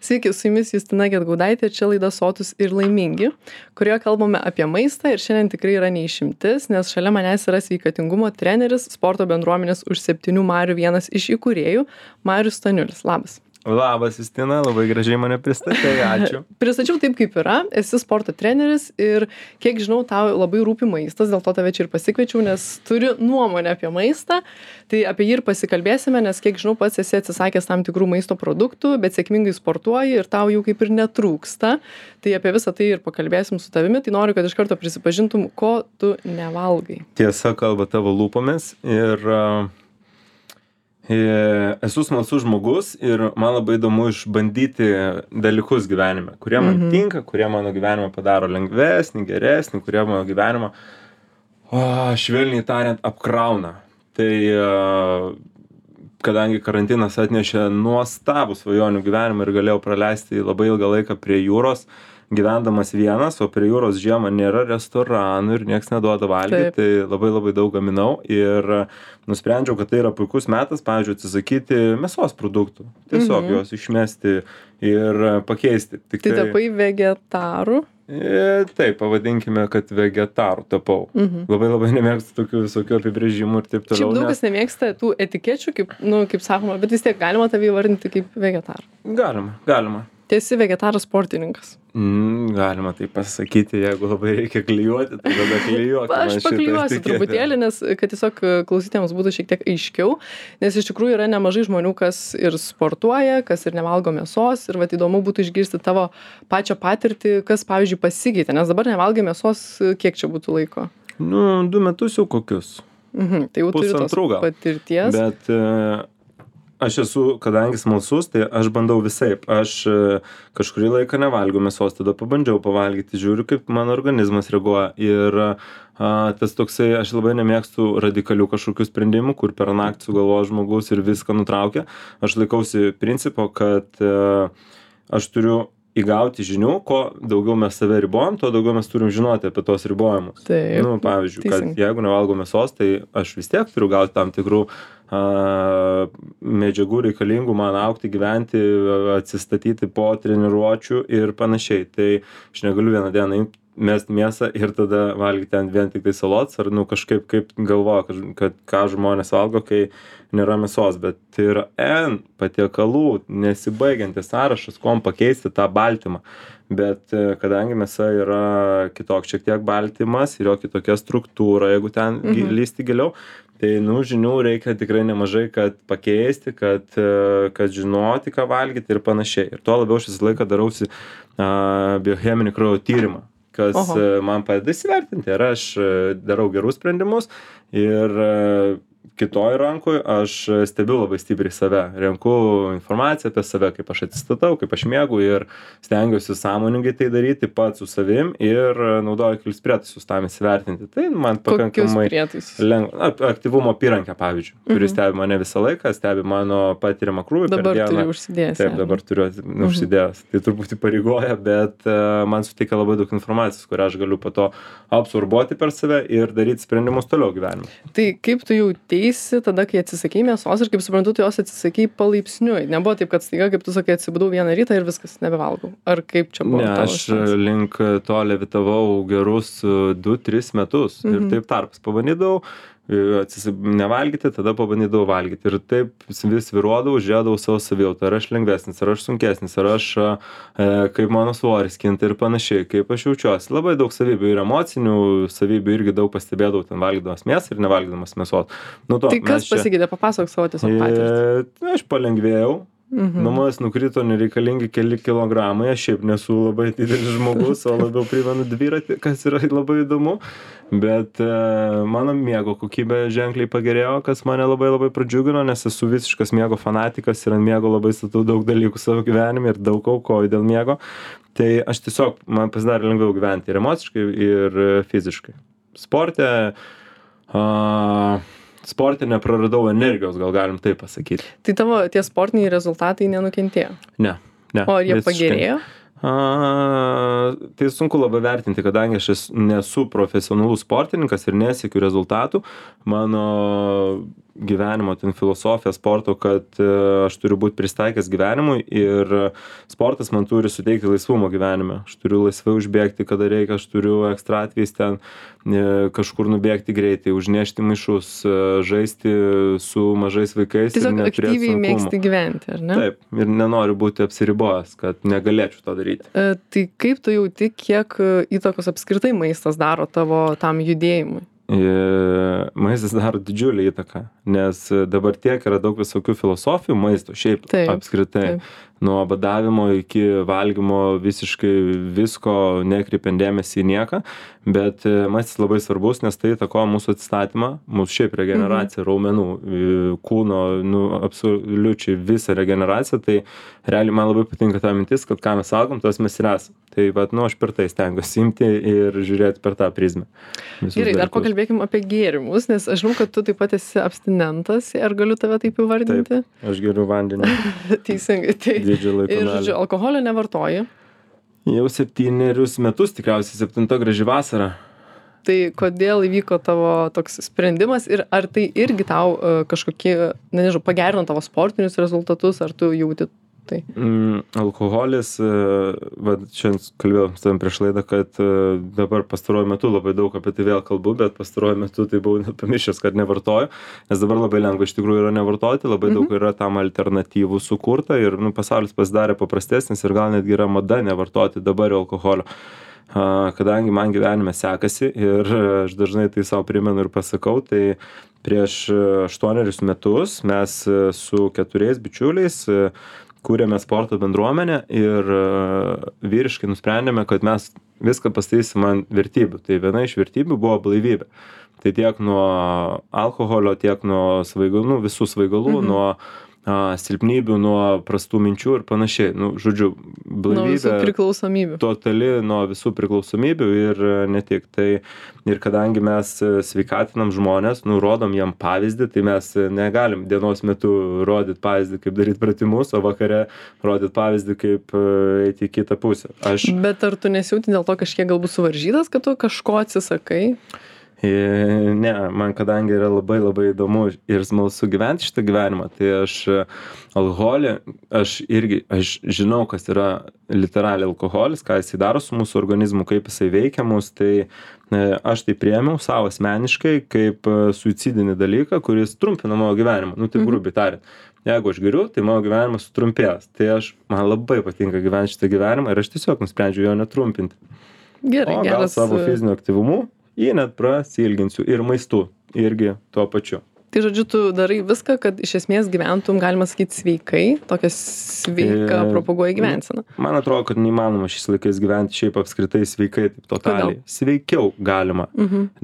Sveiki, su jumis Justina Gedgaudaitė, čia laida Sotūs ir laimingi, kurioje kalbame apie maistą ir šiandien tikrai yra neišimtis, nes šalia manęs yra sveikatingumo treneris, sporto bendruomenės už 7 marių vienas iš įkūrėjų, Marius Staniulis. Labas. Labas, Justina, labai gražiai mane pristatei, ačiū. Pristačiau taip, kaip yra, esi sporto treneris ir kiek žinau, tau labai rūpi maistas, dėl to tave čia ir pasikviečiau, nes turi nuomonę apie maistą, tai apie jį ir pasikalbėsime, nes kiek žinau, pats esi atsisakęs tam tikrų maisto produktų, bet sėkmingai sportuoji ir tau jų kaip ir netrūksta, tai apie visą tai ir pakalbėsim su tavimi, tai noriu, kad iš karto prisipažintum, ko tu nevalgai. Tiesa kalba tavo lūpomis ir esu smalsus žmogus ir man labai įdomu išbandyti dalykus gyvenime, kurie man tinka, kurie mano gyvenimą padaro lengvesnį, geresnį, kurie mano gyvenimą, švelniai tariant, apkrauna. Tai kadangi karantinas atnešė nuostabų svajonių gyvenimą ir galėjau praleisti labai ilgą laiką prie jūros, gyvendamas vienas, o prie jūros žiemą nėra restoranų ir nieks neduoda valgyti, tai labai daug gaminau ir nusprendžiau, kad tai yra puikus metas, pavyzdžiui, atsisakyti mėsos produktų. Tiesiog juos išmesti ir pakeisti. Tai tapai vegetaru? Taip, pavadinkime, kad vegetaru tapau. Labai nemėgstu tokių visokių apibrėžimų ir taip toliau. Šiaip daug kas nemėgsta tų etikečių, kaip sakoma, bet vis tiek galima tave įvardinti kaip vegetarą. Galima. Esi vegetaras sportininkas. Galima tai pasakyti, jeigu labai reikia klijuoti, tai tada klijuokime. Aš paklijuosiu truputėlį, nes kad tiesiog klausytėms būtų šiek tiek aiškiau, nes iš tikrųjų yra nemažai žmonių, kas ir sportuoja, kas ir nevalgo mėsos ir vat įdomu būtų išgirsti tavo pačią patirtį, kas pavyzdžiui pasikeitė, nes dabar nevalgai mėsos, kiek čia būtų laiko? 2 metus jau kokius. Tai jau turi tos patirties. Bet aš esu, kadangi smalsus, tai aš bandau visaip. Aš kažkurį laiką nevalgiau mėsos, tada pabandžiau pavalgyti, žiūriu, kaip mano organizmas reaguoja. Ir tas toksai, aš labai nemėgstu radikalių kažkokių sprendimų, kur per naktį sugalvoja žmogus ir viską nutraukia. Aš laikausi principo, kad aš turiu įgauti žinių, ko daugiau mes save ribojam, to daugiau mes turim žinoti apie tos ribojimus. Taip, pavyzdžiui, kad jeigu nevalgau mėsos, tai aš vis tiek turiu gauti tam tikrų medžiagų reikalingų man augti, gyventi, atsistatyti po treniruočių ir panašiai. Tai aš negaliu vieną dieną mesti mėsą ir tada valgyti ten vien tik tai salotas, ar kažkaip kaip galvoju, kad ką žmonės valgo, kai nėra mėsos, bet tai yra patiekalų, nesibaigiantis sąrašas, kuom pakeisti tą baltymą. Bet kadangi mėsa yra kitoks šiek tiek baltymas ir jo kitokia struktūra, jeigu ten lysti giliau, tai žinių reikia tikrai nemažai, kad pakeisti, kad žinoti, ką valgyti ir panašiai. Ir tuo labiau aš visą laiką darausi biocheminį kraujo tyrimą, kas man padeda įsivertinti. Ir aš darau gerus sprendimus ir kitoj rankoj aš stebiu labai stipriai save, renku informaciją apie save, kaip aš atsistatau, kaip aš miegu ir stengiuosi sąmoningai tai daryti pats su savim ir naudoju kelis prietaisus tam įsivertinti. Tai man pakankamai lengva. Aktyvumo apyrankę, pavyzdžiui, kuris stebi mane visą laiką, stebi mano patiriamą krūvį per dieną. Dabar turiu užsidėjęs. Taip, dabar turiu užsidėjęs. Tai truputį pareigoja, bet man suteikia labai daug informacijos, kurią aš galiu po to absorbuoti per save ir daryti sprendimus toliau gyvenime. Tai kaip tu jauteisi tada, kai atsisakei mėsos ir kaip suprantu, tu jos atsisakei palaipsniui? Nebuvo taip, kad staiga, kaip tu sakai, atsibudau vieną rytą ir viskas, nebevalgau. Ar kaip čia buvo? Ne, aš link to levitavau gerus 2-3 metus ir taip tarpas pabandydavau nevalgyti, tada pabandydavau valgyti ir taip vis viruodavau, žiūrėdavau savo savijautą, ar aš lengvesnis, ar aš sunkesnis, ar aš kaip mano svoris kinta ir panašiai, kaip aš jaučiuosi. Labai daug savybių ir emocinių savybių irgi daug pastebėdavau ten valgydamas mėsą ir nevalgydamas mėsos. Tai kas pasikeitė, papasakok savo tiesiog patirtį. Aš palengvėjau. Nuo manęs nukrito nereikalingi keli kilogramai, aš šiaip nesu labai didelis žmogus, o labiau primenu dviratį, kas yra labai įdomu, bet mano miego kokybė ženkliai pagerėjo, kas mane labai pradžiugino, nes esu visiškas miego fanatikas ir ant miego labai statau daug dalykų savo gyvenime ir daug aukoju dėl miego, tai aš tiesiog, man pasidarė lengviau gyventi ir emociškai, ir fiziškai. Sporte nepraradau energijos, gal galim taip pasakyti. Tai tavo tie sportiniai rezultatai nenukentėjo? Ne. O ar jie pagerėjo? Tai sunku labai vertinti, kadangi aš nesu profesionalus sportininkas ir nesiekiu rezultatų. Mano gyvenimo ten filosofija sporto, kad aš turiu būti pristaikęs gyvenimui ir sportas man turi suteikti laisvumo gyvenime. Aš turiu laisvai užbėgti, kada reikia, aš turiu ekstra atvejais ten kažkur nubėgti greitai, užnešti maišus, žaisti su mažais vaikais. Tiesiog aktyviai mėgsti gyventi, ar ne? Taip, ir nenoriu būti apsiribojęs, kad negalėčiau to daryti. Tai kaip tu jauti, kiek įtakos apskritai maistas daro tavo tam judėjimui? Maistas daro didžiulį įtaką, nes dabar tiek yra daug visokių filosofijų maisto, šiaip apskritai. Nuo badavimo iki valgymo visiškai visko nekreipiant dėmesį į nieką, bet maistas labai svarbus, nes tai įtakoja mūsų atstatymą, mūsų šiaip regeneraciją, raumenų, kūno, absoliučiai visą regeneraciją, tai realiai man labai patinka ta mintis, kad ką mes valgom, tas mes ir esam. Tai aš per tai stengiuosi imti ir žiūrėti per tą prizmę. Gerai, dar pakalbėkim apie gėrimus, nes aš žinau, kad tu taip pat esi abstinentas, ar galiu tave taip įvardinti? Taip, aš geriu vandenį. Teisingai, tai. Ir, žodžiu, alkoholio nevartoji? Jau 7 metus, tikriausiai 7 graži vasara. Tai kodėl įvyko tavo toks sprendimas ir ar tai irgi tau kažkokie, nežinau, pagerino tavo sportinius rezultatus, ar tu jauti tai? Alkoholis, šiandien kalbėjau su tavim prieš laidą, kad dabar pastaruoju metu labai daug apie tai vėl kalbu, bet pastaruoju metu tai buvau net pamiršęs, kad nevartoju, nes dabar labai lengva iš tikrųjų yra nevartoti, labai daug yra tam alternatyvų sukurta ir pasaulis pasidarė paprastesnis ir gal netgi yra mada nevartoti dabar alkoholio. Kadangi man gyvenime sekasi ir aš dažnai tai savo primenu ir pasakau, tai prieš 8 metus mes su 4 bičiuliais kūrėme sporto bendruomenę ir vyriškai nusprendėme, kad mes viską pastatysim ant vertybių. Tai viena iš vertybių buvo blaivybė. Tai tiek nuo alkoholio, tiek nuo svaigalų, visų svaigalų, nuo silpnybių, nuo prastų minčių ir panašiai. Žodžiu, blaivybė. Nuo visų priklausomybių. Totali nuo visų priklausomybių ir ne tik. Tai ir kadangi mes sveikatinam žmonės, rodom jam pavyzdį, tai mes negalim dienos metu rodyti pavyzdį, kaip daryti pratimus, o vakare rodyti pavyzdį, kaip eiti į kitą pusę. Bet ar tu nesijauti dėl to kažkiek galbūt suvaržytas, kad tu kažko atsisakai? Ne, man kadangi yra labai labai įdomu ir smalsu gyventi šitą gyvenimą, tai aš alkoholį, aš žinau, kas yra literaliai alkoholis, ką jisai daro su mūsų organizmu, kaip jisai veikia mus, tai aš tai priėmiau savo asmeniškai kaip suicidinį dalyką, kuris trumpina mano gyvenimą, tai grubiai tariant. Jeigu aš geriu, tai mano gyvenimas sutrumpės, tai man labai patinka gyventi šitą gyvenimą ir aš tiesiog nusprendžiu jo netrumpinti. Gerai, o gal savo fiziniu aktyvumu jį net prasilginsiu ir maistu irgi tuo pačiu. Tai žodžiu, tu darai viską, kad iš esmės gyventum, galima sakyti, sveikai, tokia sveika propaguoja gyvenseną. Man atrodo, kad neįmanoma šiais laikais gyventi šiaip apskritai sveikai, taip totaliai. Sveikiau galima,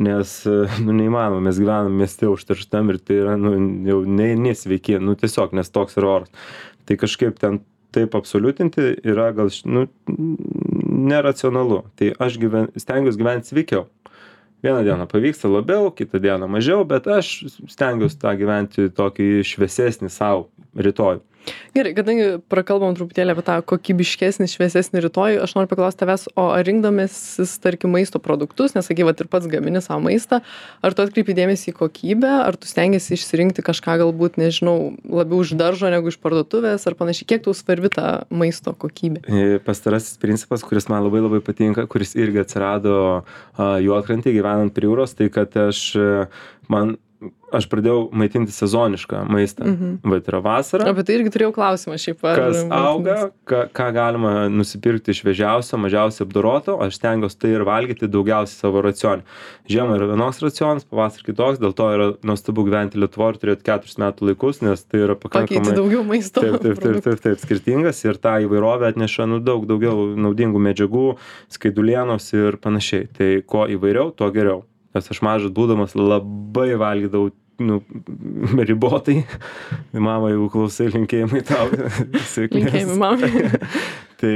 nes neįmanoma, mes gyvenam mieste užterštam ir tai yra jau nesveiki, tiesiog, nes toks yra oras. Tai kažkaip ten taip absoliutinti yra gal neracionalu. Tai aš stengiuosi gyventi sveikiau. Vieną dieną pavyksta labiau, kitą dieną mažiau, bet aš stengiuosi tą gyventi tokį šviesesnį savo rytojų. Gerai, kadangi prakalbam truputėlį apie tą kokybiškesnį, šviesesnį rytojų, aš noriu paklausti tavęs, o ar rinkdamasis, tarkim, maisto produktus, nes sakai, ir pats gamini savo maistą, ar tu atkreipi dėmesį į kokybę, ar tu stengiasi išsirinkti kažką galbūt, nežinau, labiau iš daržo negu iš parduotuvės, ar panašiai, kiek tau svarbi ta maisto kokybė? Pastarasis principas, kuris man labai labai patinka, kuris irgi atsirado Juodkrantėje gyvenant prie jūros, tai kad aš pradėjau maitinti sezonišką maistą. Bet yra vasara. Apie tai irgi turėjau klausimą šiaip. Kas auga, ką galima nusipirkti šviežiausio, mažiausiai apdoroto, aš stengiuosi tai ir valgyti daugiausiai savo racionį. Žiemą yra vienoks racionas, pavasarį kitoks, dėl to yra nuostabu gyventi Lietuvoje ir turėti 4 metų laikus, nes tai yra pakankamai... Pakeiti daugiau maisto. Taip, skirtingas ir tą įvairovę atneša daug daugiau naudingų medžiagų, skaidulienos ir panašiai. Tai kuo įvairiau, tuo geriau. Nes aš mažas būdamas labai valgydavau ribotai. Mama, jeigu klausai, linkėjimai tau. Linkėjimai mamai. Tai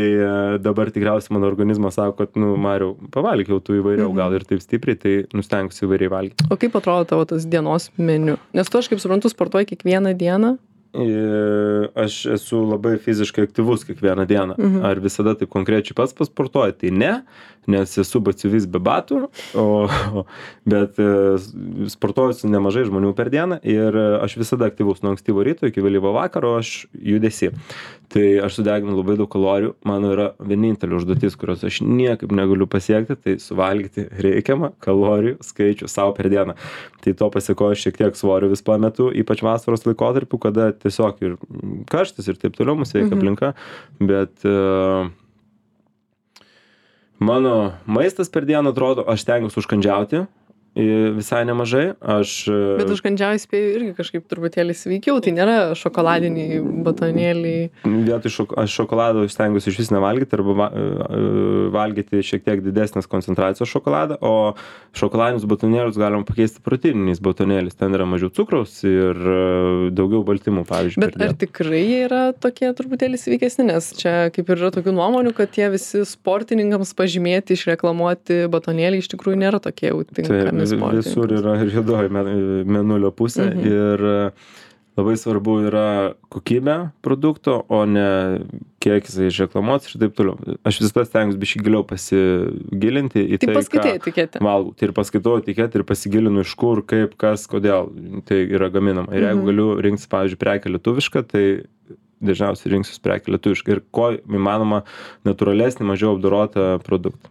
dabar tikriausiai mano organizmas sako, kad, Mariau, pavalgiau tu įvairiau, gal ir taip stipriai, tai nustengsiu įvairiai valgyti. O kaip atrodo tavo tas dienos meniu? Nes tu, aš kaip suprantu, sportuoji kiekvieną dieną? aš esu labai fiziškai aktyvus kiekvieną dieną. Ar visada taip konkrečiai pats pasportuoju? Tai ne, nes esu batsiuvys be batų, bet sportuoju su nemažai žmonių per dieną ir aš visada aktyvus nuo ankstyvo ryto iki vėlyvo vakaro, aš judesi. Tai aš sudeginu labai daug kalorijų, mano yra vienintelė užduotis, kurios aš niekaip negaliu pasiekti, tai suvalgyti reikiamą kalorijų skaičių savo per dieną. Tai to pasiekoju šiek tiek svorio vis pametu, ypač vasaros laikotarpiu, kada tiesiog ir karštis ir taip toliau mūsų veikia aplinka, bet mano maistas per dieną atrodo, aš stengiuosi užkandžiauti visai nemažai. Bet užkandžiauji spėju irgi kažkaip truputėlį sveikiau, tai nėra šokoladiniai batonėliai. Vietoj aš šokolado stengiuosi iš vis nevalgyti arba valgyti šiek tiek didesnės koncentracijos šokoladą, o šokoladinius batonėlius galima pakeisti proteininiais batonėliais. Ten yra mažiau cukraus ir daugiau baltymų, pavyzdžiui. Bet ar tikrai jie yra tokie truputėlį sveikesni, nes čia kaip ir yra tokių nuomonių, kad tie visi sportininkams pažymėti, išreklamuoti batonėliai iš tikrųjų nėra tokie jau tinkami. Visur yra juodoji mėnulio pusė ir labai svarbu yra kokybė produkto, o ne kiek jisai išreklamuotas ir taip toliau. Aš visada stengiuosi biškį giliau pasigilinti į tai, paskaitai etiketę. Valgau. Tai ir paskaitau etiketę ir pasigilinu iš kur, kaip, kas, kodėl tai yra gaminama. Ir jeigu galiu rinktis, pavyzdžiui, prekę lietuvišką, tai dažniausiai rinksiuos prekę lietuvišką ir ko įmanoma natūralesnį, mažiau apdorotą produktą.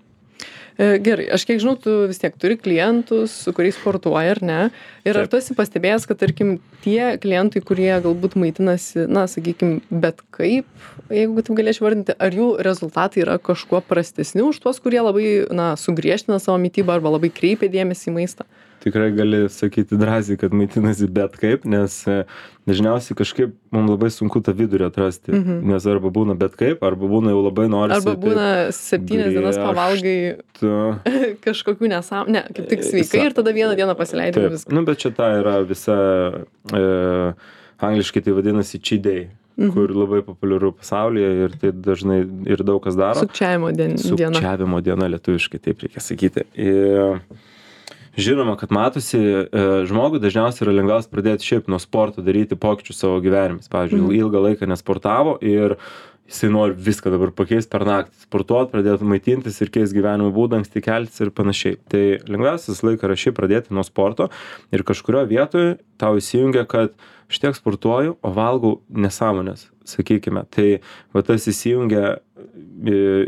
Gerai, aš kiek žinau, tu vis tiek turi klientus, su kuriais sportuoji, ar ne? Ir ar tu esi pastebėjęs, kad, tarkim, tie klientai, kurie galbūt maitinasi, na, sakykim, bet kaip, jeigu taip galėčiau vardinti, ar jų rezultatai yra kažkuo prastesni už tuos, kurie labai, na, sugriežtina savo mitybą arba labai kreipia dėmesį į maistą? Tikrai gali sakyti drąsiai, kad maitinasi bet kaip, nes dažniausiai kažkaip mums labai sunku tą vidurį atrasti, nes arba būna bet kaip, arba būna jau labai norisi. Arba būna 7 dienas pavalgai kažkokių nesąmonių, ne, kaip tik sveikai ir tada vieną dieną pasileidai viską. Nu, bet čia ta yra visa, angliškai tai vadinasi cheat day, kur labai populiaru pasaulyje ir tai dažnai ir daug kas daro. Sukčiavimo diena. Sukčiavimo diena lietuviškai, taip reikia sakyti. Žinoma, kad matosi, žmogui dažniausiai yra lengviausia pradėti šiaip nuo sporto daryti pokyčius savo gyvenime. Pavyzdžiui, ilgą laiką nesportavo ir jisai nori viską dabar pakeisti per naktį. Sportuoti, pradėti maitintis ir keisti gyvenimo būdą, anksti keltis ir panašiai. Tai lengviausias laikas yra šiaip pradėti nuo sporto ir kažkurio vietoje tau įsijungia, kad aš tiek sportuoju, o valgau nesąmonės, sakykime. Tai va tas įsijungia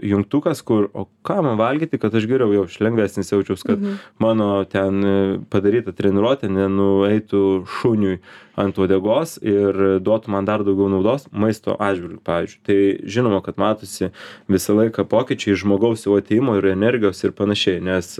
jungtukas, kur, o ką man valgyti, kad aš geriau jau lengvesnis jaučiaus, kad mano ten padaryta treniruotė nenueitų šuniui ant uodegos ir duotų man dar daugiau naudos maisto atžvilgiu, pavyzdžiui. Tai žinoma, kad matosi visą laiką pokyčiai žmogaus jau atėjimo ir energijos ir panašiai, nes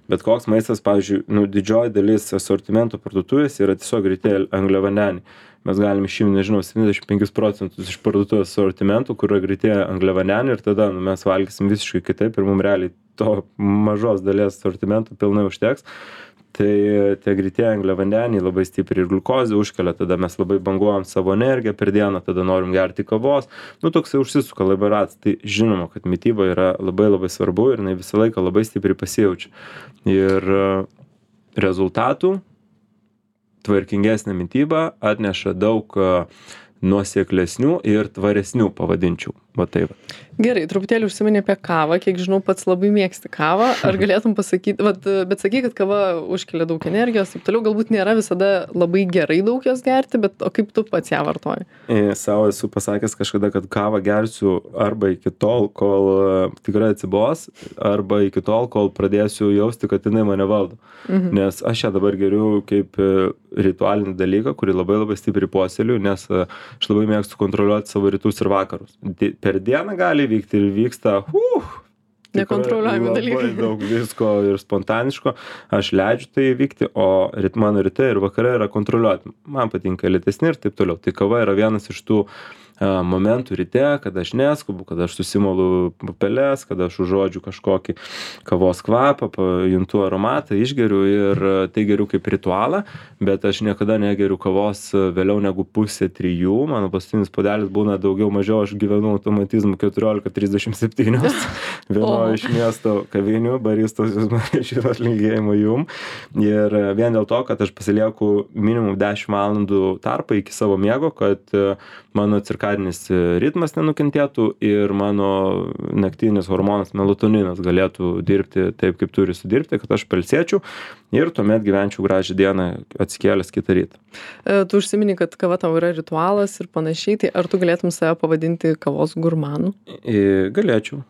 bet koks maistas, pavyzdžiui, didžioji dalis asortimento parduotuvės yra tiesiog greitieji angliavandeniai. Mes galim išimti, nežinau, 75% iš parduotuvės asortimentų, kur yra greitieji angliavandeniai ir tada mes valgysim visiškai kitaip ir mums realiai to mažos dalies asortimentų pilnai užteks. Tai tie greitieji angliavandeniai labai stipriai ir gliukozę užkelia, tada mes labai banguojam savo energiją per dieną, tada norim gerti kavos. Toksai užsisuka labai ratas. Tai žinoma, kad mityba yra labai labai svarbu ir jinai visą laiką labai stipriai pasijaučia. Ir rezultatų tvarkingesnė mityba atneša daug nuoseklesnių ir tvaresnių, pavadinčiau. Va taip. Gerai, truputėlį užsiminė apie kavą, kiek žinau, pats labai mėgsti kavą. Ar galėtum pasakyti, bet sakai, kad kava užkelia daug energijos, taip toliau, galbūt nėra visada labai gerai daug jos gerti, bet o kaip tu pats ją vartoji? Savo esu pasakęs kažkada, kad kavą gersiu arba iki tol, kol tikrai atsibos, arba iki tol, kol pradėsiu jausti, kad jinai mane valdo. Nes aš ją dabar geriu kaip ritualinį dalyką, kurį labai labai stipriai puoseliu, nes aš labai mėgstu kontroliuoti savo rytus ir vakarus. Per dieną gali vykti ir vyksta nekontroliuojami dalykai. Labai daug visko ir spontaniško. Aš leidžiu tai vykti, o mano rytai ir vakarai yra kontroliuoti. Man patinka lėtesni ir taip toliau. Tai kava yra vienas iš tų momentų ryte, kada aš neskubu, kada aš susimalu pupeles, kada aš užuodžiu kažkokį kavos kvapą, pajuntu aromatą, išgeriu ir tai geriu kaip ritualą, bet aš niekada negeriu kavos vėliau negu 2:30. Mano paskutinis puodelis būna daugiau mažiau, aš gyvenu automatizmu 14:37 vienoje iš miesto kavinių, baristos jūs norėčiau atlinkėjimo jum. Ir vien dėl to, kad aš pasilieku minimum 10 valandų tarpą iki savo miego, kad mano cirkadinis ritmas nenukentėtų ir mano naktinis hormonas melatoninas galėtų dirbti taip, kaip turi sudirbti, kad aš pailsėčiau ir tuomet gyvenčiau gražią dieną atsikėlęs kitą rytą. Tu užsimini, kad kava tau yra ritualas ir panašiai, tai ar tu galėtum save pavadinti kavos gurmanu? Galėčiau.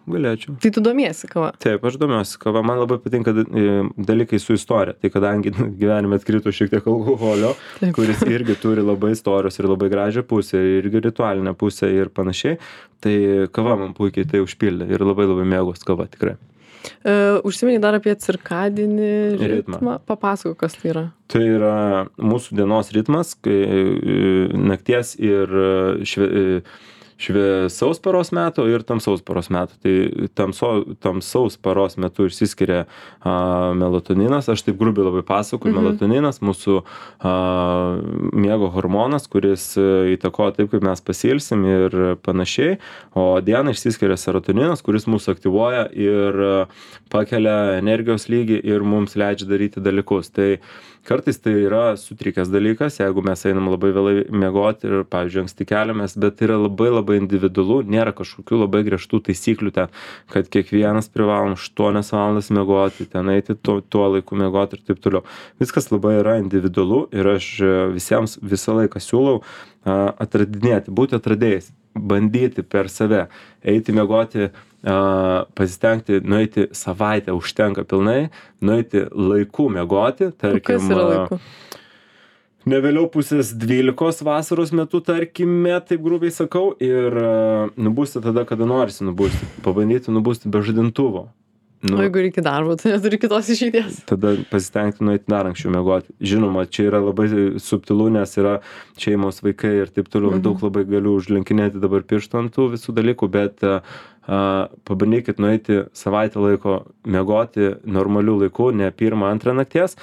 Tai tu domiesi kava? Taip, aš domiuosi kava, man labai patinka dalykai su istorija, tai kadangi gyvenime atkrito šiek tiek alkoholio, kuris irgi turi labai istorijos ir labai gražią pusę, irgi ritualinę pusę ir panašiai, tai kava man puikiai tai užpildė ir labai mėgos kava tikrai. Užsimeni dar apie cirkadinį ritmą. Papasakok, kas tai yra. Tai yra mūsų dienos ritmas, kai nakties ir šviesaus paros metu ir tamsaus paros metu. Tai tamsaus paros metu išsiskiria melatoninas, aš taip grubiai labai pasakoju, melatoninas, mūsų miego hormonas, kuris įtakoja taip, kaip mes pasilsim ir panašiai, o dieną išsiskiria serotoninas, kuris mūsų aktyvuoja ir pakelia energijos lygį ir mums leidžia daryti dalykus. Tai kartais tai yra sutrikęs dalykas, jeigu mes einam labai vėlai miegoti ir, pavyzdžiui, anksti keliamės, bet tai yra labai individualu, nėra kažkokių labai griežtų taisyklių ten, kad kiekvienas privalom 8 valandas miegoti, ten eiti tuo laiku miegoti ir taip toliau. Viskas labai yra individualu ir aš visiems visą laiką siūlau atradinėti, būti atradėjais, bandyti per save, eiti miegoti, pasistengti nueiti savaitę užtenka pilnai, nueiti laiku miegoti, tarkim, kas yra laiku? Ne vėliau 11:30 vasaros metu, tarkime, taip grubiai sakau, ir nubusti tada, kada norisi nubusti, pabandyti nubusti be žadintuvo. O jeigu reikia darbo, tai neturi kitos išeities. Tada pasistengti nueiti dar anksčiau miegoti. Žinoma, čia yra labai subtilu, nes yra šeimos, vaikai ir taip toliau, daug labai galiu užlenkinėti dabar pirštų ant tų visų dalykų, bet pabandykit nueiti savaitę laiko miegoti normaliu laiku, ne 1-2 nakties,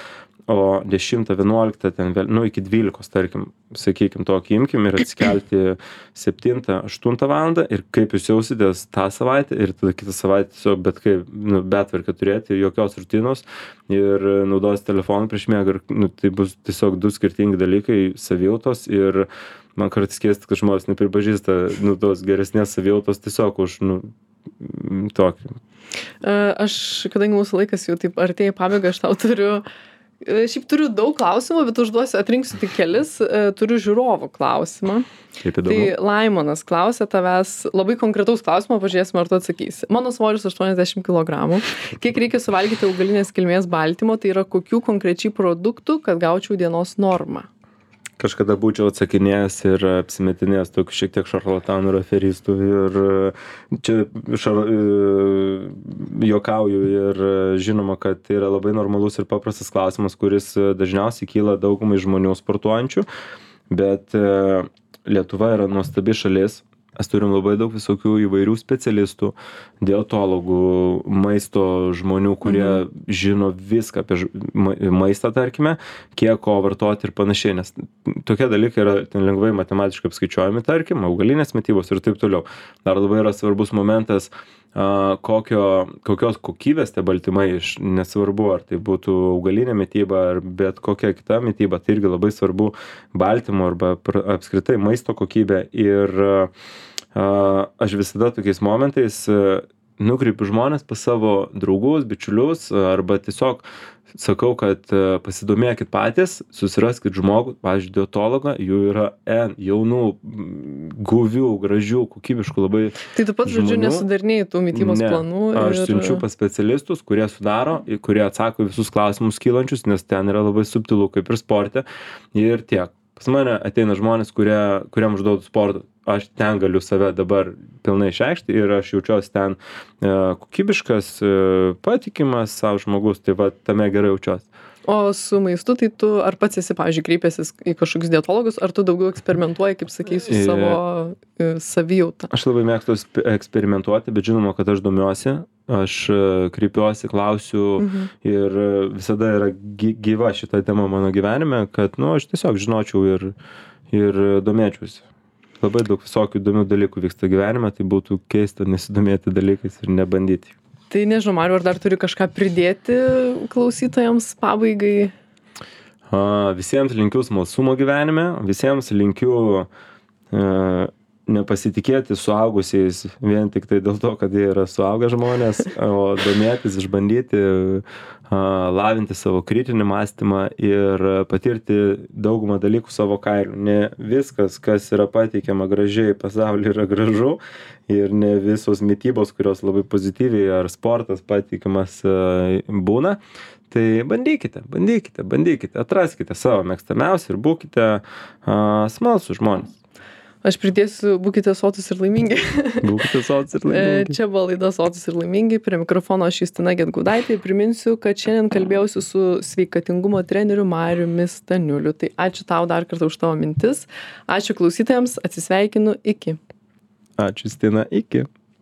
o 10-11, iki 12, tarkim, sakykim, tokį imkim ir atsikelti 7-8 valandą ir kaip jūs jausitės tą savaitę ir tada kitą savaitę tiesiog betvarkę turėti, jokios rutinos ir naudos telefoną prieš miegą ir tai bus tiesiog 2 skirtingi dalykai, savijautos ir man kartais keista, kad žmonės nepripažįsta tos geresnės savijautos tiesiog už tokį. Aš, kadangi mūsų laikas jau taip artėja į pabaigą, aš tau turiu daug klausimų, bet atrinksiu tik kelis. Turiu žiūrovų klausimą. Kaip įdomu. Tai Laimonas klausia tavęs labai konkretaus klausimo, pažiūrėsim, ar tu atsakysi. Mano svoris 80 kg. Kiek reikia suvalgyti augalinės kilmės baltymo, tai yra kokių konkrečiai produktų, kad gaučiau dienos normą? Kažkada būčiau atsakinėjęs ir apsimetinėjęs tokių šiek tiek šarlatanų ir aferistų ir čia juokauju ir žinoma, kad tai yra labai normalus ir paprastas klausimas, kuris dažniausiai kyla daugumai žmonių sportuojančių, bet Lietuva yra nuostabi šalis. Mes turim labai daug visokių įvairių specialistų, dietologų, maisto žmonių, kurie žino viską apie maistą, tarkime, kiek ko vartoti ir panašiai, nes tokie dalykai yra lengvai matematiškai apskaičiuojami, tarkim, augalinės mitybos ir taip toliau. Dar labai yra svarbus momentas, kokios kokybės tie baltymai, nesvarbu, ar tai būtų augalinė mityba ar bet kokia kita mityba, tai irgi labai svarbu baltymo arba apskritai maisto kokybė ir aš visada tokiais momentais nukreipiu žmones pas savo draugus, bičiulius arba tiesiog sakau, kad pasidomėkit patys, susiraskit žmogų, pavyzdžiui, dietologą, jų yra jaunų, guvių, gražių, kokybiškų labai žmonių. Tai tu pats, žodžiu, nesudarinėjai tų mitybos planų? Aš siunčiu pas specialistus, kurie sudaro, kurie atsako visus klausimus kylančius, nes ten yra labai subtilu, kaip ir sporte, ir tiek. Pas mane ateina žmonės, kuriam užduodu sportą. Aš ten galiu save dabar pilnai išreikšti ir aš jaučiuosi ten kokybiškas, patikimas savo žmogus, tai va tame gerai jaučiuosi. O su maistu, tai tu ar pats esi, pavyzdžiui, kreipęsis į kažkokius dietologus, ar tu daugiau eksperimentuoji, kaip sakai, su savo savijauta? Aš labai mėgstu eksperimentuoti, bet žinoma, kad aš domiuosi, aš kreipiuosi, klausiu ir visada yra gyva šita tema mano gyvenime, kad, aš tiesiog žinočiau ir domėčiausi. Labai daug visokių įdomių dalykų vyksta gyvenime, tai būtų keista nesidomėti dalykais ir nebandyti. Tai nežinau, Mariau, ar dar turi kažką pridėti klausytojams pabaigai? Visiems linkiu smalsumo gyvenime, visiems linkiu nepasitikėti suaugusiais vien tik tai dėl to, kad jie yra suaugę žmonės, o domėtis, išbandyti, lavinti savo kritinį mąstymą ir patirti daugumą dalykų savo kailiu. Ne viskas, kas yra pateikiama gražiai pasaulyje, yra gražu ir ne visos mitybos, kurios labai pozityviai ar sportas pateikiamas būna. Tai bandykite, atraskite savo mėgstamiausią ir būkite smalsūs žmonės. Aš pridėsiu, būkite sotus ir laimingi. Būkite sotus ir laimingi. Čia buvo laida Sotus ir laimingi. Prie mikrofono aš Justina Gedgaudaitė. Priminsiu, kad šiandien kalbėjausi su sveikatingumo treneriu Mariumi Staniuliu. Tai ačiū tau dar kartą už tavo mintis. Ačiū klausytojams. Atsisveikinu. Iki. Ačiū, Justina. Iki.